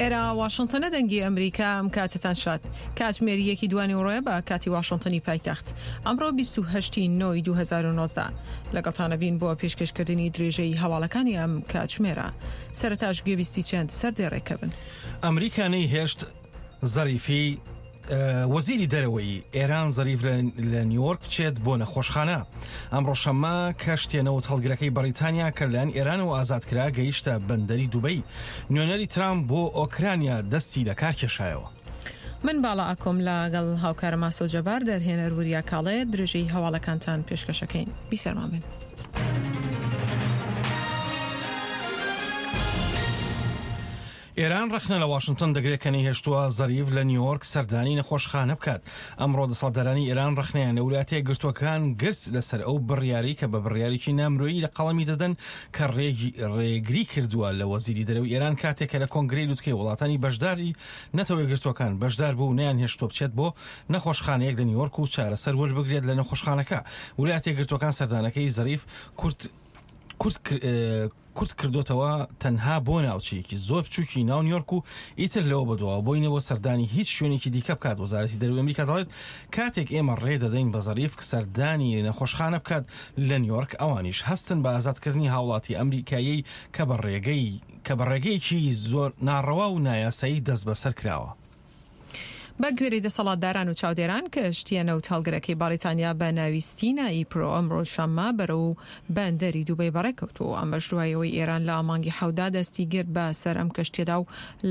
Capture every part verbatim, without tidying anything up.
ئێرە واشنتنە، دەنگی ئەمریکا. ئەم کاتتان شاد. کاتژمێری یەکی دوانی ڕۆیە بە کاتی واشنتنی پایتەخت. ئەمڕۆ بیست و هەشت نۆی دوو هەزار و نۆزدە لەگەڵتانە بین بۆ پێشکەشکردنی درێژەی هەواڵەکانی ئەم کاتژمێرە. سەرەتاش گوێبیستی چەند سەردێڕێکە بن. ئەمریکا نەیهێشت زەریفی وەزیری دەرەوەی ئێران زەریف لە نیویۆرک بچێت بۆ نەخۆشخانە. ئەمڕۆ شەممە کەشتیە نەوت هەڵگرەکەی بەریتانیا کە لەلایەن ئێرانەوە ئازاد کرا گەیشتە بەندەری دوبەی. نوێنەری ترامپ بۆ ئۆکرانیا دەستی لە کار کێشایەوە. من باڵا ئاکۆم لەگەڵ هاوکارم ئاسۆ جەبار، دەرهێنەر وریا کاڵێ، درێژەی هەواڵەکانتان پێشکەشەکەین. بیسەرمان بن. ئێران ڕەخنە لە واشنتن دەگرێت کە نەیهێشتووە زەریف لە نیویۆرک سەردانی نەخۆشخانە بکات. ئەمڕۆ دەسەڵاتدارانی ئێران ڕەخنەیان لە وڵاتە یەکگرتووەکان گرت لەسەر ئەو بڕیاری کە بە بڕیارێکی نامرۆیی لە قەڵەمی دەدەن کە ڕێگری کردووە لە وەزیری دەرەوەی ئێران کاتێک کە لە کۆنگرەی لوتکەی وڵاتانی بەشداری نەتەوە یەکگرتووەکان بەشدار بوو و نەیانهێشتووە بچێت بۆ نەخۆشخانەیەک لە نیویۆرک و چارەسەر وەربگرێت لە نەخۆشخانەکە. وڵاتە یەکگرتووەکان سەردانەکەی زەریف کورت کورت کورت کردوتەوە تەنها بۆ ناوچەیەکی زۆر بچووکی ناو نیویۆرک و ئیتر لەوە بەدواوە بۆی نەوە سەردانی هیچ شوێنێکی دیکە بکات. وەزارەتی دەرەوەی ئەمریکا دەڵێت کاتێک ئێمە ڕێ دەدەین بە زەریف سەردانی نەخۆشخانە بکات لە نیویۆرک، ئەوانیش هەستن بە ئازادکردنی هاوڵاتی ئەمریکایی کە بە ڕێگەی کە بە ڕێگەیەکی زۆر ناڕەوا و نایاسایی دەست بەسەر کراوە. بە گوێرەی دەسەڵاتداران و چاودێران کەشتیە نەوت هەڵگرەکەی بەریتانیا بە ناوی ستینا ئیپرۆ ئەمڕۆ شەممە بەرەو بەندەری دوبەی بەڕێکەوتووە. ئەمەش دوای ئەوەی ئێران لە مانگی حەوتدا دەستی گرت بە سەر ئەم کەشتیەدا و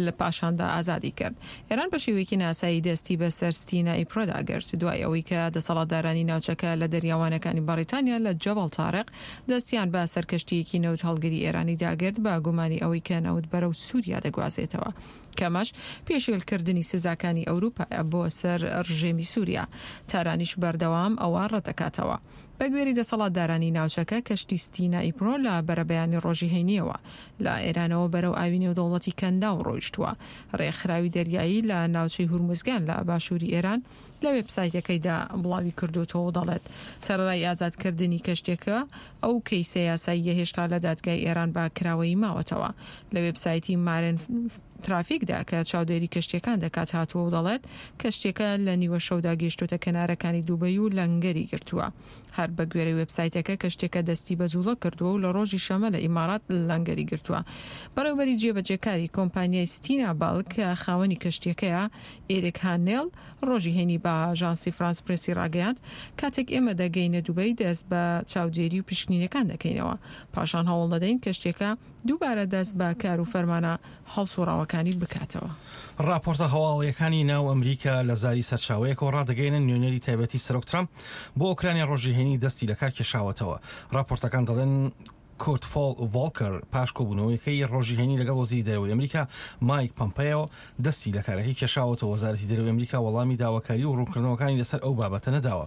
لە پاشاندا ئازادی کرد. ئێران بە شێوەیەکی ناسایی دەستی بە سەر ستینا ئیپرۆدا گرت دوای ئەوەی کە دەسەڵاتدارانی ناوچەکە لە دەریاوانەکانی بەریتانیا لە جەبەڵ تارق دەستیان بە سەر کەشتیەکی نەوت هەڵگری ئێرانی داگرت بە گومانی ئەوەی کە نەوت بەرەو سووریا دەگوازێتەوە. کەمەش پێشێلکردنی سزاکانی ئەوروپا بۆ سەر ڕژێمی سووریا. تارانیش بەردەوام ئەوە ڕەتدەکاتەوە. بە گوێری دەسەڵاتدارانی ناوچەکە کەشتی ستینا ئیپرۆ لە بەرەبەیانی ڕۆژی هەینیەوە لە ئێرانەوە بەرەو ئاوی نێودەوڵەتی کەنداو ڕۆیشتووە. ڕێکخراوی دەریایی لە ناوچەی هورمزگان لە باشووری ئێران لە وێبسایتەکەیدا بڵاوی کردوتەوە و دەڵێت سەرەڕای ئازادکردنی کەشتێکە ئەو کەیسە یاساییە هێشتا لە دادگای ئێران بە کراوەیی ماوەتەوە. لە وێبسایتی مارن ترافیکدا کە چاودێری کەشتیەکان دەکات هاتووە و دەڵێت کەشتیەکە لە نیوە شەودا گەیشتوتە کەنارەکانی دوبەی و لەنگەری گرتووە. هەر بە گوێرەی وێبسایتەکە کەشتیەکە دەستی بە جوڵە کردووە و لە ڕۆژی شەمە لە ئیمارات لەنگەری گرتووە. بەڕێوەبەری جێبەجێکاری کۆمپانیای ستینا بالک کە خاوەنی کەشتیەکەیە ئێریک هانێل ڕۆژی هەینی بە ئاژانسی فرانس پرێسی ڕاگەیاند کاتێک ئێمە دەگەینە دوبەی دەست بە چاودێری و پشکنینەکان دەکەینەوە، پاشان هەوڵ دەدەین کەشتیەکە دووبارە دەست بە کار و فەرمانە هەڵسوڕاوەکانی بکاتەوە. راپۆرتە هەواڵیەکانی ناو ئەمریکا لە زاری سەرچاوەیەکەوە ڕادەگەیەنن نوێنەری تایبەتی سەرۆک ترامپ بۆ ئۆکرانیا ڕۆژی هەینی دەستی لە کار کێشاوەتەوە. راپۆرتەکان دەڵێن کورت ڤۆڵکەر پاش کۆبوونەوەیەکەی ڕۆژی هەینی لەگەڵ وەزیری دەرەوەی ئەمریکا مایک پەمپەیۆ دەستی لە کارەکەی کێشاوەتەوە. وەزارەتی دەرەوەی ئەمریکا وەڵامی داواکاری و ڕوونکردنەوەکانی لەسەر ئەو بابەتە نەداوە.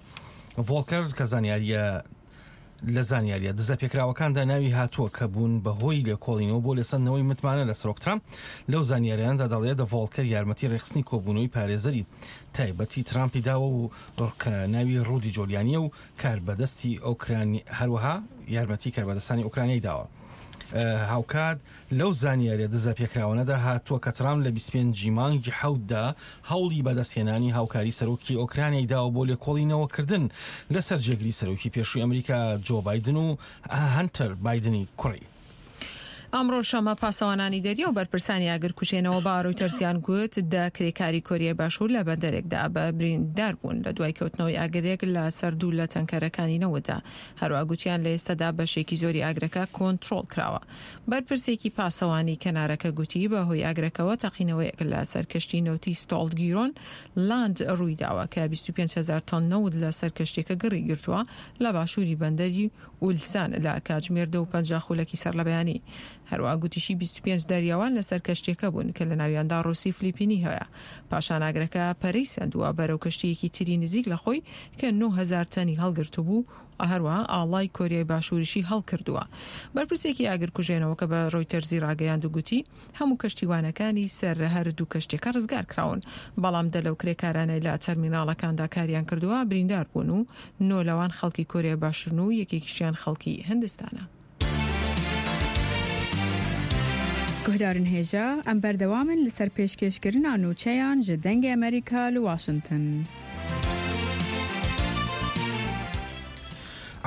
ڤۆڵکەر کە زانیاریە لە زانیاریە دزە پێکراوەکاندا ناوی هاتووە کە بوون بەهۆی لێکۆڵینەوە بۆ لێسەندنەوەی متمانە لە سەرۆک ترامپ، لەو زانیاریاندا دەڵێت ڤۆڵکەر یارمەتی ڕێکخستنی کۆبوونەوەی پارێزەری تایبەتی ترامپی داوە و کە ناوی ڕودی جۆلیانیە و کاربەدەستی ئۆکرانی، هەروەها یارمەتی کاربەدەستانی ئۆکرانیای داوە. هاوکات لەو زانیاریە دزە پێکراوانەدا هاتووە کە ترامپ لە بیست و پێنج مانگی حەوتدا هەوڵی بەدەستهێنانی هاوکاری سەرۆکی ئۆکرانیای داوە بۆ لێکۆڵینەوەکردن لەسەر جێگری سەرۆکی پێشووی ئەمریکا جۆ بایدن و هەنتەر بایدنی کوڕی. ئەمڕۆ شەمە پاسەوانانی دەریا و بەرپرسانی ئاگرکوژێنەوە بە ڕۆیتەرزیان گوت دە کرێکاری کۆریای باشوور لە بەندەرێکدا بە بریندار بوون لە دوای کەوتنەوەی ئاگرێک لە سەر دوو لە تەنکەرەکانی نەوتدا. هەروە گوتیان لە ئێستادا بەشێکی زۆری ئاگرەکە کۆنترۆڵ کراوە. بەرپرسێکی پاسەوانی کەنارەکە گوتی بە هۆی ئاگرەکەوە تەقینەوەیەک لە سەر کەشتی نەوتی ستۆڵت گیرۆن لاند ڕوویداوە کە بیست و پێنج هەزار تۆن نەوت لە سەر کەشتیەکە گڕی گرتووە لە باشووری بەندەری ئولسان لە کاتژمێر دە و پەنجا خولەکی سەر لە بەیانی. هەروە گوتیشی بیست و پێنج دەریاوان لەسەر کەشتیەکە بوون کە لە ناویاندا ڕووسی فلیپینی هەیە. پاشان ئاگرەکە پەرەی سەندووە بەرەو کەشتیەکی تری نزیک لە خۆی کە نۆ هەزار تەنی هەڵگرتوو بوو، هەروەها ئاڵای کۆریای باشووریشی هەڵکردووە. بەرپرسێکی ئاگرکوژێنەوە کە بە ڕۆیتەرزی ڕاگەیاند و گوتی هەموو کەشتیوانەکانی سەر هەر دوو کەشتیەکە ڕزگار کراون، بەڵام دە لەو کرێکارانەی لە تەرمیناڵەکاندا کاریان کردووە بریندار بوون و نۆ لەوان خەڵکی کۆریای باشوورن و یەکێکیشیان خەڵکی هندستانە. Guhdarên hêja em berdewam in li ser pêşkêşkirina nûçeyan ji Dengê Amerîka li Washington.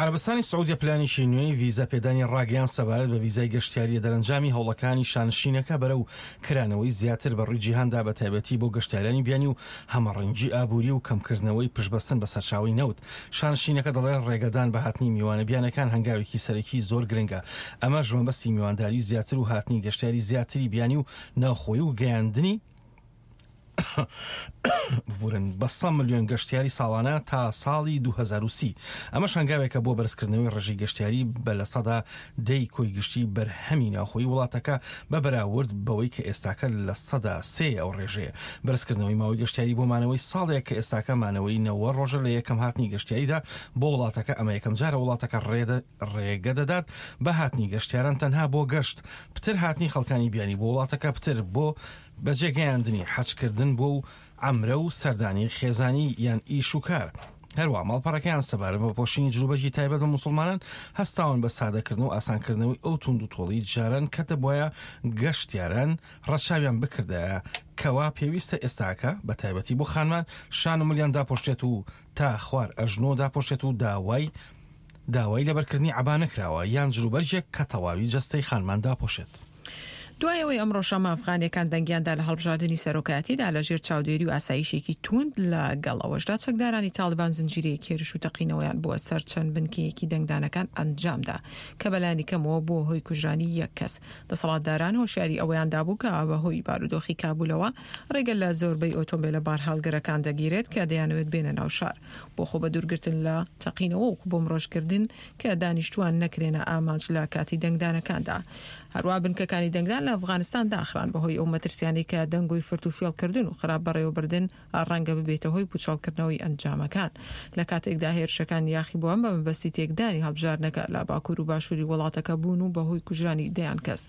عەرەبستانی سعودیە پلانێکی نوێی ڤیزا پێدانی ڕاگەیان سەبارەت بە ڤیزای گەشتیاریە دەرەنجامی هەوڵەکانی شانشینەکە بەرەو کرانەوەی زیاتر بە ڕووی جیهاندا بە تایبەتی بۆ گەشتیارانی بیانی و هەمەڕەنگی ئابووری و کەمکردنەوەی پشتبەستن بە سەرچاوەی نەوت. شانشینەکە دەڵێ ڕێگەدان بە هاتنی میوانە بیانەکان هەنگاوێکی سەرەکی زۆر گرنگە، ئەمەش مەبەستی میوانداری زیاتر و هاتنی گەشتیاری زیاتری بیانی و ناوخۆی و گەیاندنی ببورن بە سەد ملیۆن گەشتیاری ساڵانە تا ساڵی دوو هەزار و سی. ئەمەش هەنگاوێکە بۆ بەرزکردنەوەی ڕێژەی گەشتیاری بە لە سەدا دەی کۆی گشتی بەرهەمی ناوخۆی وڵاتەکە بە بەراورد بەوەی کە ئێستاکە لە سەدا سێ ئەو ڕێژەیە. بەرزکردنەوەی ماوەی گەشتیاری بۆ مانەوەی ساڵێک کە ئێستاکە مانەوەی نەوە ڕۆژە لە یەکەم هاتنی گەشتیاریدا بۆ وڵاتەکە. ئەمە یەکەم جارە وڵاتەکە ڕێگە دەدات بە هاتنی گەشتیاران تەنها بۆ گەشت، پتر هاتنی خەڵکانی بیانی بۆ وڵاتەکە، پتر بۆ بەجێگەیاندنی حەجکردن بۆ و عەمرە و سەردانی خێزانی یان ئیش و کار. هەروە ماڵپەڕەکەیان سەبارەت بە پۆشینی جلوبەرگی تایبەت بە موسڵمانان هەستاون بە سادەکردن و ئاسانکردنەوەی ئەو توند و تۆڵی جاران کە دەبوایە گەشتیاران ڕەچاویان بکردایە کەوا پێویستە ئێستاکە بە تایبەتی بۆ خانمان شان و ملیان داپۆشێت و تا خوار ئەژنۆ داپۆشێت و داوای داوای لەبەرکردنی عەبا نەکراوە یان جلوبەرگێک کە تەواوی جەستەی خانمان داپۆشێت. دوای ئەوەی ئەمڕۆ شەممە ئەفغانیەکان دەنگیاندا لە هەڵبژاردنی سەرۆکایەتیدا لەژێر چاودێری و ئاسایشێکی توند، لەگەڵ ئەوەشدا چەکدارانی تاڵیبان زنجیرەیەک هێرش و تەقینەوەیان بووە سەر چەند بنکەیەکی دەنگدانەکان ئەنجامدا کە بەلایەنی کەمەوە بووە هۆی کوژرانی یەک کەس. دەسەڵاتداران هۆشیاری ئەوەیان دابوو کە بەهۆی بارودۆخی کابولەوە ڕێگە لە زۆربەی ئۆتۆمبیلە بارهەڵگرەکان دەگیرێت کە دەیانەوێت بێنە ناو شار بۆ خۆ بەدوورگرتن لە تەقینەوە و بۆمڕۆژکردن کە دانیشتوان نەکرێنە ئامانج لە کاتی دەنگدانەکاندا. هەروە بنکەکانی دەنگدان لە ئەفغانستان داخران بەهۆی ئەو مەترسیانەی کە دەنگۆی فرت و فێڵکردن و خراپ بەڕێوەبردن ڕەنگە ببێتە هۆی پوچەڵکردنەوەی ئەنجامەکان. لە کاتێکدا هێرشەکان یاخیبووان بە مەبەستی تێکدانی هەڵبژاردنەکە لە باکوور و باشووری وڵاتەکە بوون و بەهۆی کوژرانی دەیان کەس.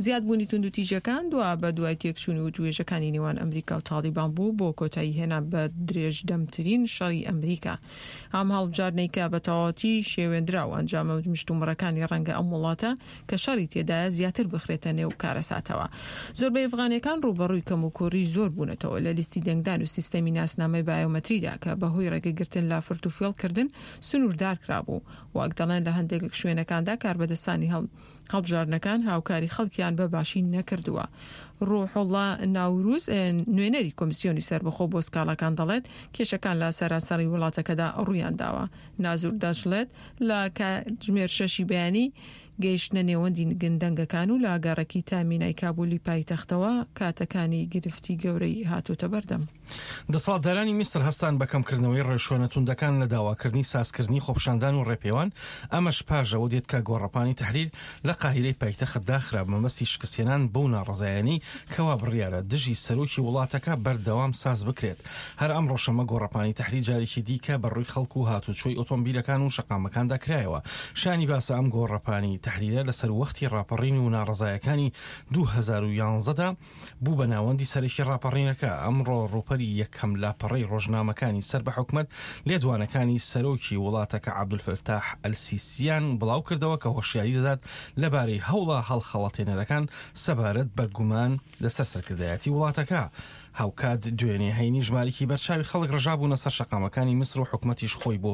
زیادبوونی توندوتیژەکان دوا بە دوای تێکچوون و توێژەکانی نێوان ئەمریکا و تاڵیبان بوو بۆ کۆتایی هێنان بە درێژدەمترین شەڕی ئەمریکا. ئەم هەڵبژاردنەی کە بە تەواوەتی شێوێندرا و ئەنجامە مشتومڕەکانی ڕەنگە ئەم وڵاتە کە شەڕی تێدایە زیاتر بخرێتە نێو کارەساتەوە. زۆربەی ئەفغانیەکان ڕووبەڕووی کەموکوڕی زۆر بوونەتەوە لە لیستی دەنگدان و سیستەمی ناسنامەی بایۆمەتریدا کە بەهۆی ڕێگەگرتن لە فرت و فێڵکردن سنووردار کرابوو. وەک دەڵێن لە هەندێک شوێنەکاندا کاربەدەستانی هەڵبژاردنەکان هاوکاری خەڵکیان بە باشی نەکردووە. ڕوحوڵڵا ناوروز نوێنەری کۆمیسیۆنی سەربەخۆ بۆ سکاڵاکان دەڵێت کێشەکان لە سەرانسەری وڵاتەکەدا ڕوویان داوە. نازور دەشڵێت لە کاتژمێر شەشی بەیانی گەیشتنە نێوەندی گندەنگەکان و لە گەڕەکی تامینای کابولی پایتەختەوە کاتەکانی گرفتی گەورەی هاتوتە بەردەم. دەسەڵاتدارانی میسر هەستان بە کەمکردنەوەی ڕێوشوێنە توندەکان لە داواکردنی سازکردنی خۆپیشاندان و ڕێپێوان، ئەمەش پاش ئەوە دێت کە گۆڕەپانی تەحریر لە قاهیرەی پایتەخت داخرا بە مەبەستی شکستهێنان بەو ناڕەزایانەی کەوا بڕیارە دژی سەرۆکی وڵاتەکە بەردەوام ساز بکرێت. هەر ئەمڕۆ شەممە گۆڕەپانی تەحریر جارێکی دیکە بە ڕووی خەڵک و هاتوچۆی ئۆتۆمبیلەکان و شەقامەکاندا کرایەوە. شانی باسە ئەم گۆڕەپانی تەحریرە لەسەر وەختی ڕاپەڕین و ناڕەزایەکانی دوو هەزار و یانزەدا بوو بە ناوەندی سەرەکی ڕاپەڕینەکە. ئەمڕۆ ڕووپەری یەکەم لاپەڕەی ڕۆژنامەکانی سەر بە حکومەت لێدوانەکانی سەرۆکی وڵاتەکە عەبدولفەتاح ئەلسیسیان بڵاو کردەوە کە هۆشیاری دەدات لەبارەی هەوڵە هەڵخەڵەتێنەرەکان سەبارەت بە گومان لەسەر سەرکردایەتی وڵاتەکە. هاوکات دوێنێ هەینی ژمارێکی بەرچاوی خەڵک ڕژابوونە سەر شەقامەکانی میسر و حکومەتیش خۆی بۆ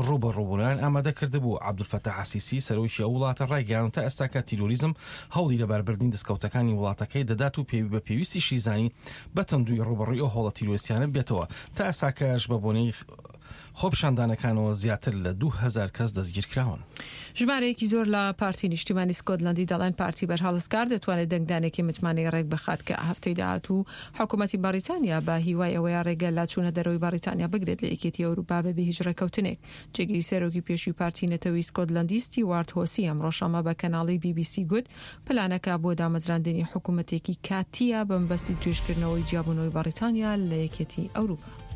ڕووبەڕووبوونیان ئامادە کردبوو. عەبدولفەتاح ئەلسیسی سەرۆکی ئەو وڵاتە ڕایگەیاند تا ئێستاکە تیرۆریزم هەوڵی لەباربردنی دەستکەوتەکانی وڵاتەکەی دەدات و پێوی بە پێویستیشی زانی بە تەندووی ڕووبەڕووی ئەو هەوڵە تیرۆریستیانە بێتەوە. تا ئێستاکەش بە بۆنەی خۆپیشاندانەکانەوە زیاتر لە دوو هەزار کەس دەستگیر کراون. ژمارەیەکی زۆر لە پارتی نیشتیمانی سکۆتلەندی دەڵێن پارتی بەرهەڵستکار دەتوانێت دەنگدانێکی متمانەی ڕێک بخات کە هەفتەی داهاتوو حکوومەتی بەریتانیا بە هیوای ئەوەیە ڕێگە لە چوونە دەرەوەی بەریتانیا بگرێت لە یەکێتی ئەوروپا بەبێ هیچ ڕێککەوتنێک. جێگیری سەرۆکی پێشووی پارتی نەتەوەی سکۆتلەندی ستیوارت هۆسی ئەمڕۆ شەممە بە کەناڵی بی بی سی گوت پلانەکە بۆ دامەزراندنی حکوومەتێکی کاتیە بە مەبەستی درێژکردنەوەی جیابوونەوەی بەریتانیا لە یەکێتی ئەوروپا.